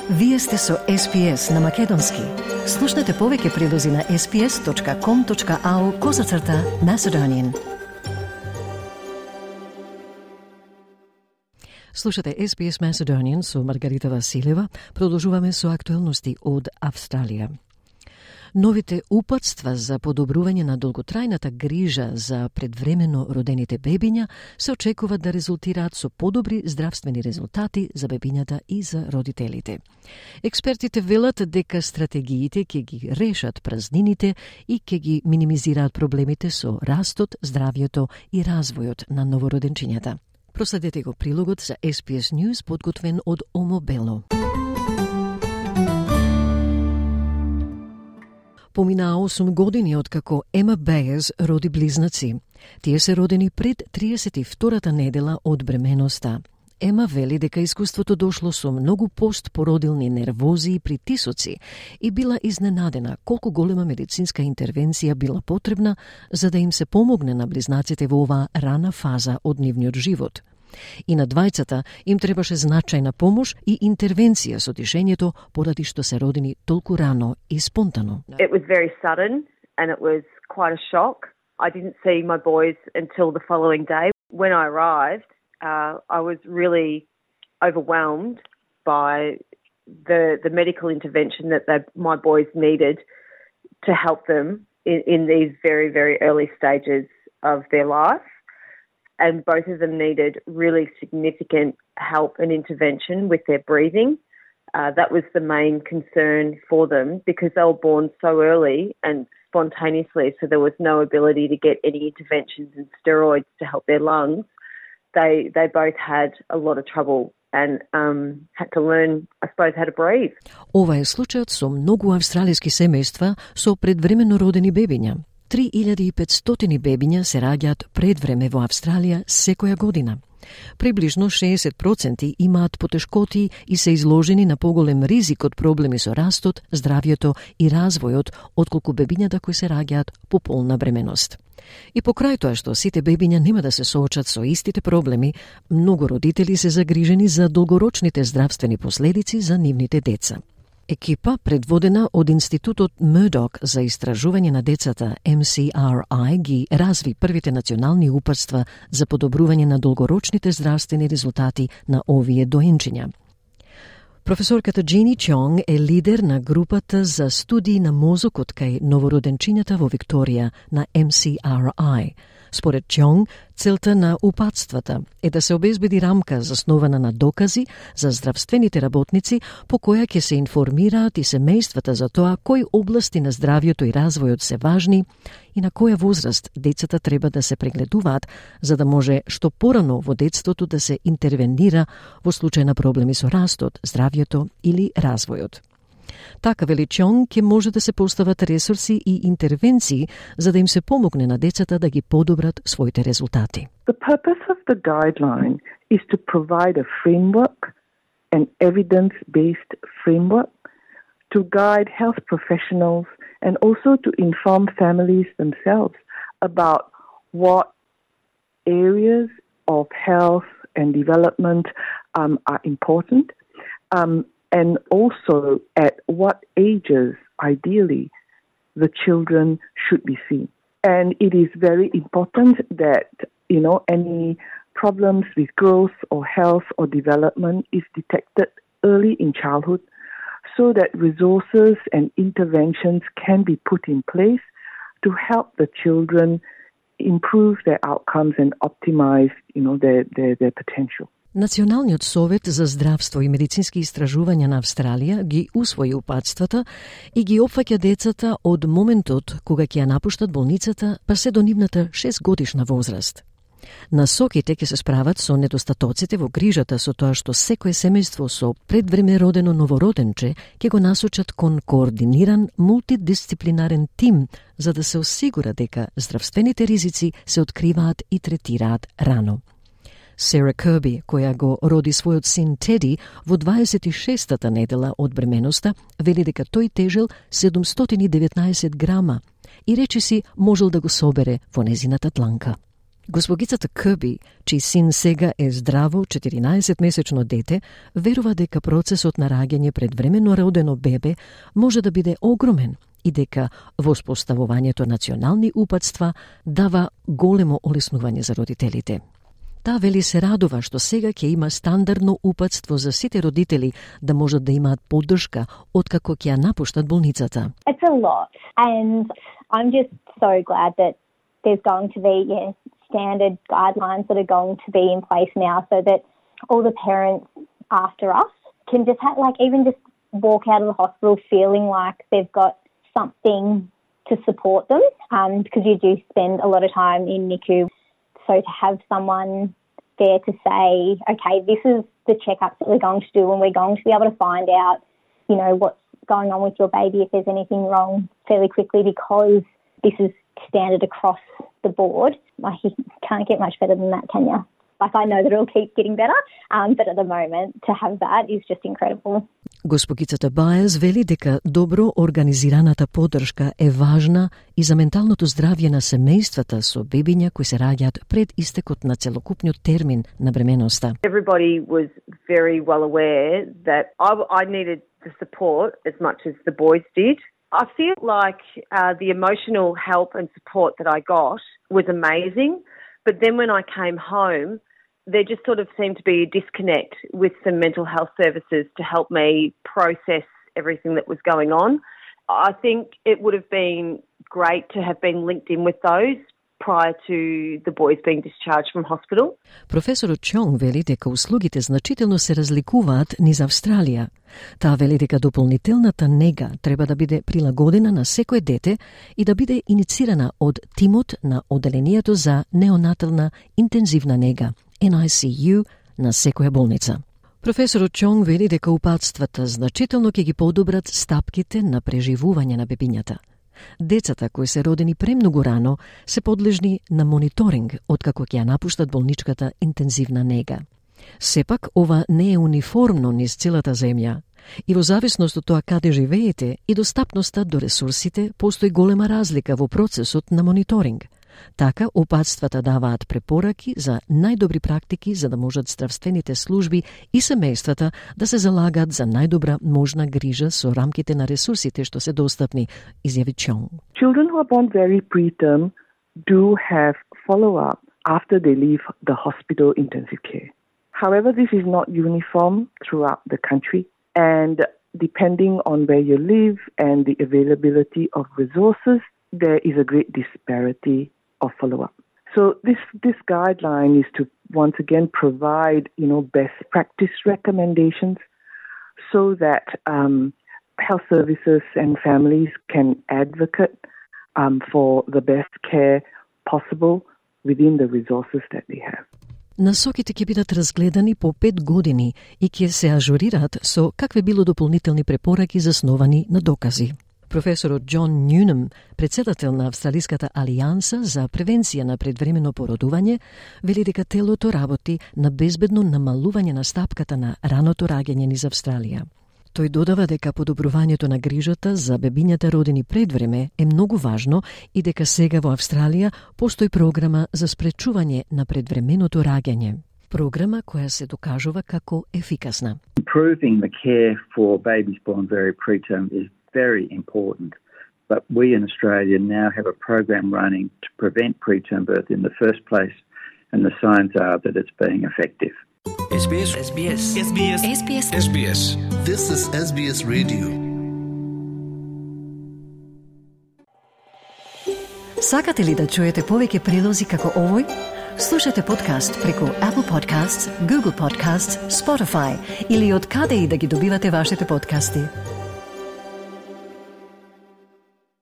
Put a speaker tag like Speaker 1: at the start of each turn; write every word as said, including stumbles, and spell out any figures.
Speaker 1: Вие сте со Ес Би Ес на Македонски. Слушнете повеќе прилози на ес би ес точка ком точка ау козацрта Macedonian. Слушате Ес Би Ес Macedonian со Маргарита Василева. Продолжуваме со актуелности од Австралија. Новите упатства за подобрување на долготрајната грижа за предвремено родените бебиња се очекуваат да резултираат со подобри здравствени резултати за бебињата и за родителите. Експертите велат дека стратегиите ќе ги решат празнините и ќе ги минимизираат проблемите со растот, здравјето и развојот на новороденчињата. Проследете го прилогот за Ес Би Ес News подготвен од Омо Бело. Поминаа осум години откако Ема Бејерс роди близнаци. Тие се родени пред триесет и втората недела од бременоста. Ема вели дека искуството дошло со многу постпородилни нервози и притисоци и била изненадена колку голема медицинска интервенција била потребна за да им се помогне на близнаците во оваа рана фаза од нивниот живот. И на двајцата им требаше значајна помош и интервенција со дишењето поради што се родени толку рано и спонтано.
Speaker 2: It was very sudden and it was quite a shock. I didn't see my boys until the following day. When I arrived, uh, I was really overwhelmed by the the medical intervention that they, my boys needed to help them in, in these very, very early stages of their life. And both of them needed really significant help and intervention with their breathing. Uh, that was the main concern for them because they were born so early and spontaneously, so there was no ability to get any interventions and steroids to help their lungs. They they both had a lot of trouble and um, had to learn, I suppose, how to breathe.
Speaker 1: Ова е случајот со многу австралиски семејства со предвремено родени бебиња. три илјади и петстотини бебиња се раѓаат пред време во Австралија секоја година. Приближно шеесет проценти имаат потешкоти и се изложени на поголем ризик од проблеми со растот, здравјето и развојот отколку бебињата кои се раѓаат по полна бременост. И покрај тоа што сите бебиња нема да се соочат со истите проблеми, многу родители се загрижени за долгорочните здравствени последици за нивните деца. Екипа, предводена од Институтот Мурдок за истражување на децата Ем Си Ар Ај, ги разви првите национални упатства за подобрување на долгорочните здравствени резултати на овие доенчиња. Професорката Джини Чонг е лидер на групата за студии на мозокот кај новороденчињата во Викторија на Ем Си Ар Ај. Според Чонг, целта на упатствата е да се обезбеди рамка заснована на докази за здравствените работници по која ќе се информираат и семејствата за тоа кои области на здравјето и развојот се важни и на која возраст децата треба да се прегледуваат за да може што порано во детството да се интервенира во случај на проблеми со растот, здравјето или развојот. Така, вели Чонг, ќе може да се постават ресурси и интервенции за да им се помогне на децата да ги подобрат своите резултати.
Speaker 3: The purpose of the guideline is to provide a framework, an evidence-based framework, to guide health professionals and also to inform families themselves about what areas of health and development um, are important. Um, And also at what ages, ideally, the children should be seen. And it is very important that, you know, any problems with growth or health or development is detected early in childhood so that resources and interventions can be put in place to help the children improve their outcomes and optimize, you know, their, their, their potential.
Speaker 1: Националниот совет за здравство и медицински истражувања на Австралија ги усвои упатствата и ги опфаќа децата од моментот кога ќе ја напуштат болницата па се до нивната шестгодишна возраст. Насоките ќе се справат со недостатоците во грижата со тоа што секое семејство со предвреме родено новороденче ќе го насочат кон координиран мултидисциплинарен тим за да се осигура дека здравствените ризици се откриваат и третираат рано. Сара Кирби, која го роди својот син Теди во дваесет и шестата недела од бременоста, вели дека тој тежел седумстотини и деветнаесет грама и речиси можел да го собере во незината дланка. Госпогицата Кърби, чиј син сега е здраво четиринаесетмесечно дете, верува дека процесот на раѓање пред времено родено бебе може да биде огромен и дека воспоставувањето национални упатства дава големо олеснување за родителите. Таа вели се радува што сега ќе има стандардно упатство за сите родители да можат да имаат поддршка откако ќе ја напуштат болницата.
Speaker 4: It's a lot, and I'm just so glad that there's going to be yeah, standard guidelines that are going to be in place now so that all the parents after us can just have, like, even just walk out of the hospital feeling like they've got something to support them, um, because you do spend a lot of time in N I C U. So to have someone there to say, okay, this is the checkups that we're going to do, and we're going to be able to find out, you know, what's going on with your baby, if there's anything wrong, fairly quickly, because this is standard across the board. Like, you can't get much better than that, can you? Like, I know that it'll keep getting better, um, but at the moment, to have that is just incredible.
Speaker 1: Госпогицата Бајес вели дека добро организираната поддршка е важна и за менталното здравје на семејствата со бебиња кои се раѓаат пред истекот на целокупниот термин на бременоста.
Speaker 2: Everybody was very well aware that I, I needed the support as much as the boys did. I feel like uh, the emotional help and support that I got was amazing, but then when I came home, there just sort of seemed to be a disconnect with some mental health services to help me process everything that was going on. I think it would have been great to have been linked in with those prior to the boys being discharged from hospital.
Speaker 1: Професорот Чонг вели дека услугите значително се разликуваат низ Австралија. Таа вели дека дополнителната нега треба да биде прилагодена на секое дете и да биде иницирана од тимот на Оделението за неонатална интензивна нега, Н I C U, на секоја болница. Професорот Чонг вели дека упатствата значително ќе ги подобрат стапките на преживување на бебињата. Децата кои се родени премногу рано се подлежни на мониторинг откако ќе ја напуштат болничката интензивна нега. Сепак, ова не е униформно низ целата земја и во зависност од тоа каде живеете и достапноста до ресурсите, постои голема разлика во процесот на мониторинг. Така, опатствата даваат препораки за најдобри практики за да можат здравствените служби и семејствата да се залагаат за најдобра можна грижа со рамките на ресурсите што се достапни, изјави Чонг.
Speaker 3: Children who are born very preterm do have follow-up after they leave the hospital intensive care. However, this is not uniform throughout the country, and depending on where you live and the availability of resources, there is a great disparity of follow-up. So this this guideline is to once again provide, you know, best practice recommendations so that um, health services and families can advocate um, for the best care possible within the resources that they have.
Speaker 1: Насоките ќе бидат разгледани по пет години и ќе се ажурираат со какве било дополнителни препораки засновани на докази. Професорот Џон Нюнем, председател на Австралиската алијанса за превенција на предвремено породување, вели дека телото работи на безбедно намалување на стапката на раното раѓање низ Австралија. Тој додава дека подобрувањето на грижата за бебињата родени пред време е многу важно и дека сега во Австралија постои програма за спречување на предвременото раѓање. Програма која се докажува како ефикасна.
Speaker 5: Improving the care for babies born very preterm is very important, but we in Australia now have a program running to prevent preterm birth in the first place, and the signs are that it's being effective.
Speaker 6: S B S S B S S B S S B S S B S This is S B S Radio.
Speaker 1: Сакате ли да чуете повеќе прилози како овој? Слушате подкаст преку Apple Podcasts, Google Podcasts, Spotify или од каде и да ги добивате вашите подкасти.